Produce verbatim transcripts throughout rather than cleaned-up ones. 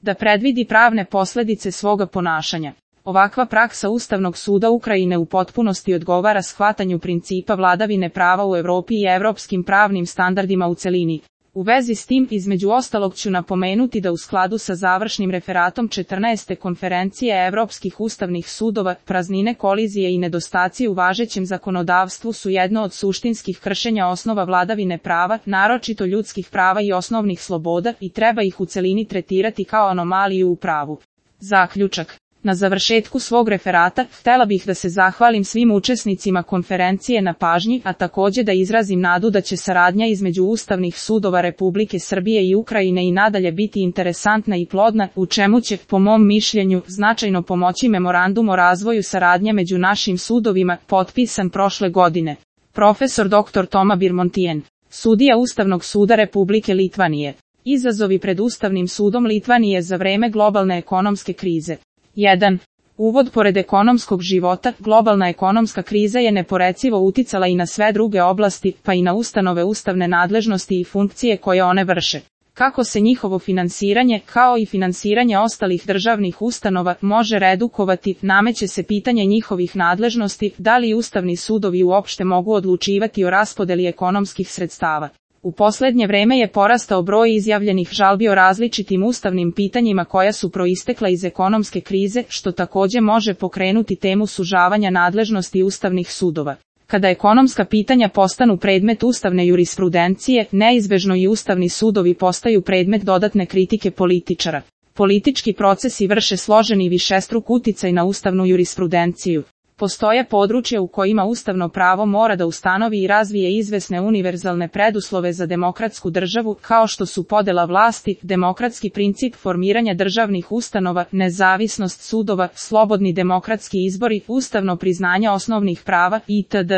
da predvidi pravne posljedice svoga ponašanja. Ovakva praksa Ustavnog suda Ukrajine u potpunosti odgovara shvatanju principa vladavine prava u Europi i evropskim pravnim standardima u celini. U vezi s tim, između ostalog ću napomenuti da u skladu sa završnim referatom četrnaeste konferencije Evropskih ustavnih sudova, praznine, kolizije i nedostaci u važećem zakonodavstvu su jedno od suštinskih kršenja osnova vladavine prava, naročito ljudskih prava i osnovnih sloboda, i treba ih u celini tretirati kao anomaliju u pravu. Zaključak. Na završetku svog referata, htjela bih da se zahvalim svim učesnicima konferencije na pažnji, a također da izrazim nadu da će saradnja između ustavnih sudova Republike Srbije i Ukrajine i nadalje biti interesantna i plodna, u čemu će, po mom mišljenju, značajno pomoći memorandum o razvoju saradnje među našim sudovima, potpisan prošle godine. Profesor doktor Toma Birmontijen, sudija Ustavnog suda Republike Litvanije. Izazovi pred Ustavnim sudom Litvanije za vreme globalne ekonomske krize. jedan. Uvod. Pored ekonomskog života, globalna ekonomska kriza je neporecivo uticala i na sve druge oblasti, pa i na ustanove ustavne nadležnosti i funkcije koje one vrše. Kako se njihovo finansiranje, kao i finansiranje ostalih državnih ustanova, može redukovati, nameće se pitanje njihovih nadležnosti, da li ustavni sudovi uopšte mogu odlučivati o raspodeli ekonomskih sredstava. U posljednje vreme je porastao broj izjavljenih žalbi o različitim ustavnim pitanjima koja su proistekla iz ekonomske krize, što također može pokrenuti temu sužavanja nadležnosti ustavnih sudova. Kada ekonomska pitanja postanu predmet ustavne jurisprudencije, neizbežno i ustavni sudovi postaju predmet dodatne kritike političara. Politički procesi vrše složeni i višestruk uticaj na ustavnu jurisprudenciju. Postoje područja u kojima ustavno pravo mora da ustanovi i razvije izvesne univerzalne preduslove za demokratsku državu, kao što su podela vlasti, demokratski princip formiranja državnih ustanova, nezavisnost sudova, slobodni demokratski izbori, ustavno priznanje osnovnih prava, itd.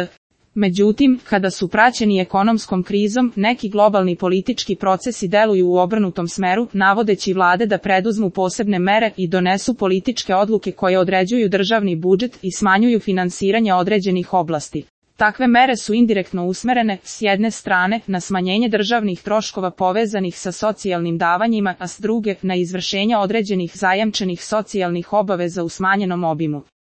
Međutim, kada su praćeni ekonomskom krizom, neki globalni politički procesi deluju u obrnutom smeru, navodeći vlade da preduzmu posebne mere i donesu političke odluke koje određuju državni budžet i smanjuju finansiranje određenih oblasti. Takve mere su indirektno usmerene, s jedne strane, na smanjenje državnih troškova povezanih sa socijalnim davanjima, a s druge, na izvršenje određenih zajamčenih socijalnih obaveza u smanjenom obimu.